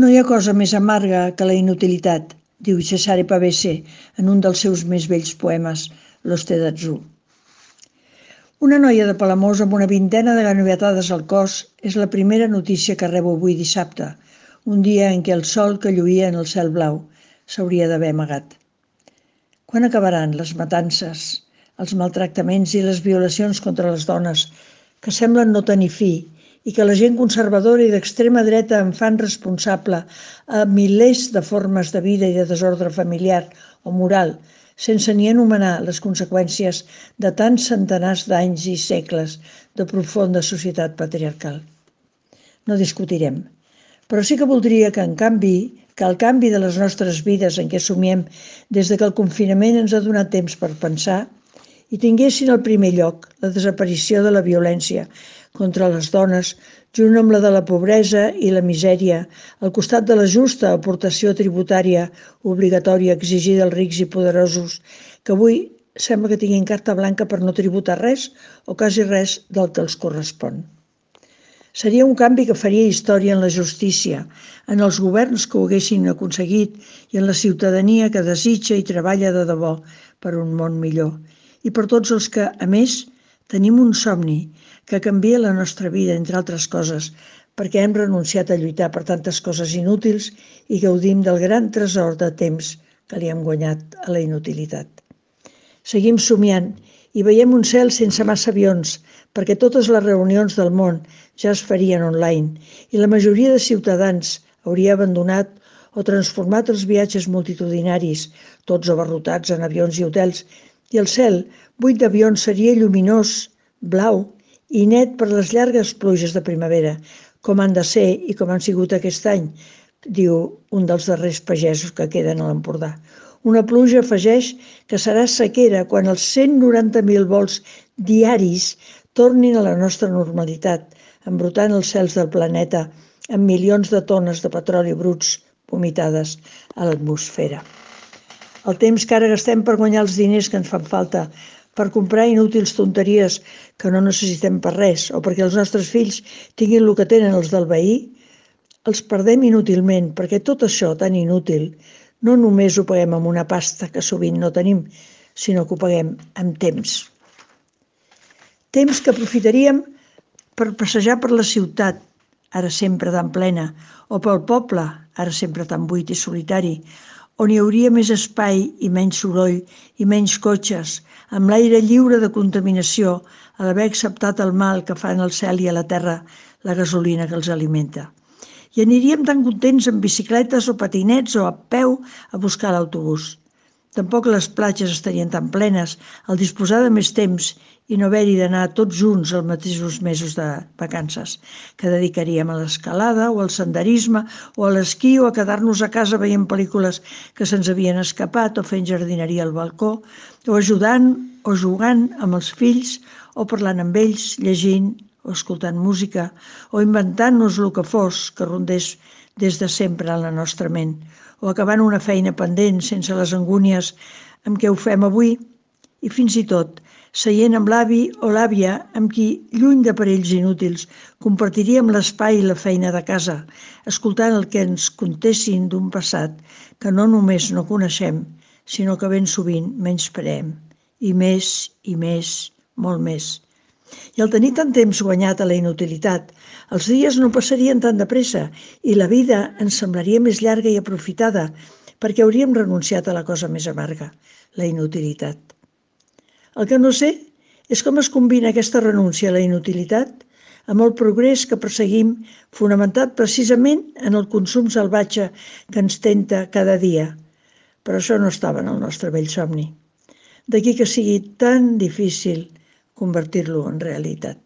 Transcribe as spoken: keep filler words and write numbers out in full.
No hi ha cosa més amarga que la inutilitat, diu Cesare Pavese en un dels seus més vells poemes, L'Oste d'Atzú. Una noia de Palamós amb una vintena de ganovetades al cos és la primera notícia que rebo avui dissabte, un dia en què el sol que lluïa en el cel blau s'hauria d'haver amagat. Quan acabaran les matances, els maltractaments i les violacions contra les dones que semblen no tenir fi i que la gent conservadora i d'extrema dreta en fan responsable a milers de formes de vida i de desordre familiar o moral, sense ni anomenar les conseqüències de tants centenars d'anys i segles de profunda societat patriarcal? No discutirem, però sí que voldria que, en canvi, que el canvi de les nostres vides en què somiem des de que el confinament ens ha donat temps per pensar i tinguessin al primer lloc la desaparició de la violència contra les dones, junt amb la de la pobresa i la misèria, al costat de la justa aportació tributària obligatòria exigida als rics i poderosos, que avui sembla que tinguin carta blanca per no tributar res o quasi res del que els correspon. Seria un canvi que faria història en la justícia, en els governs que ho haguessin aconseguit i en la ciutadania que desitja i treballa de debò per un món millor. I per tots els que, a més, tenim un somni que canvia la nostra vida, entre altres coses, perquè hem renunciat a lluitar per tantes coses inútils i gaudim del gran tresor de temps que li hem guanyat a la inutilitat. Seguim somiant i veiem un cel sense massa avions, perquè totes les reunions del món ja es farien online i la majoria de ciutadans hauria abandonat o transformat els viatges multitudinaris, tots abarrotats en avions i hotels, i el cel, buit d'avions, seria lluminós, blau i net per les llargues pluges de primavera, com han de ser i com han sigut aquest any, diu un dels darrers pagesos que queden a l'Empordà. Una pluja, afegeix, que serà sequera quan els cent noranta mil vols diaris tornin a la nostra normalitat, embrutant els cels del planeta amb milions de tones de petroli bruts vomitades a l'atmosfera. El temps que ara gastem per guanyar els diners que ens fan falta, per comprar inútils tonteries que no necessitem per res o perquè els nostres fills tinguin el que tenen els del veí, els perdem inútilment perquè tot això tan inútil no només ho paguem amb una pasta que sovint no tenim, sinó que ho paguem amb temps. Temps que aprofitaríem per passejar per la ciutat, ara sempre tan plena, o pel poble, ara sempre tan buit i solitari, on hi hauria més espai i menys soroll i menys cotxes, amb l'aire lliure de contaminació, a l'haver acceptat el mal que fan al cel i a la terra la gasolina que els alimenta. I aniríem tan contents amb bicicletes o patinets o a peu a buscar l'autobús. Tampoc les platges estarien tan plenes al disposar de més temps i no haver-hi d'anar tots junts els mateixos mesos de vacances, que dedicaríem a l'escalada o al senderisme o a l'esquí o a quedar-nos a casa veient pel·lícules que se'ns havien escapat o fent jardineria al balcó o ajudant o jugant amb els fills o parlant amb ells, llegint o escoltant música o inventant-nos el que fos que rondés des de sempre en la nostra ment o acabant una feina pendent sense les angúnies amb què ho fem avui i fins i tot seient amb l'avi o l'àvia amb qui, lluny d'aparells inútils, compartiríem l'espai i la feina de casa, escoltant el que ens contessin d'un passat que no només no coneixem, sinó que ben sovint menyspreem, i més, i més, molt més. I al tenir tant temps guanyat a la inutilitat, els dies no passarien tan de pressa i la vida ens semblaria més llarga i aprofitada perquè hauríem renunciat a la cosa més amarga, la inutilitat. El que no sé és com es combina aquesta renúncia a la inutilitat amb el progrés que perseguim fonamentat precisament en el consum salvatge que ens tenta cada dia. Però això no estava en el nostre vell somni. D'aquí que sigui tan difícil convertir-lo en realitat.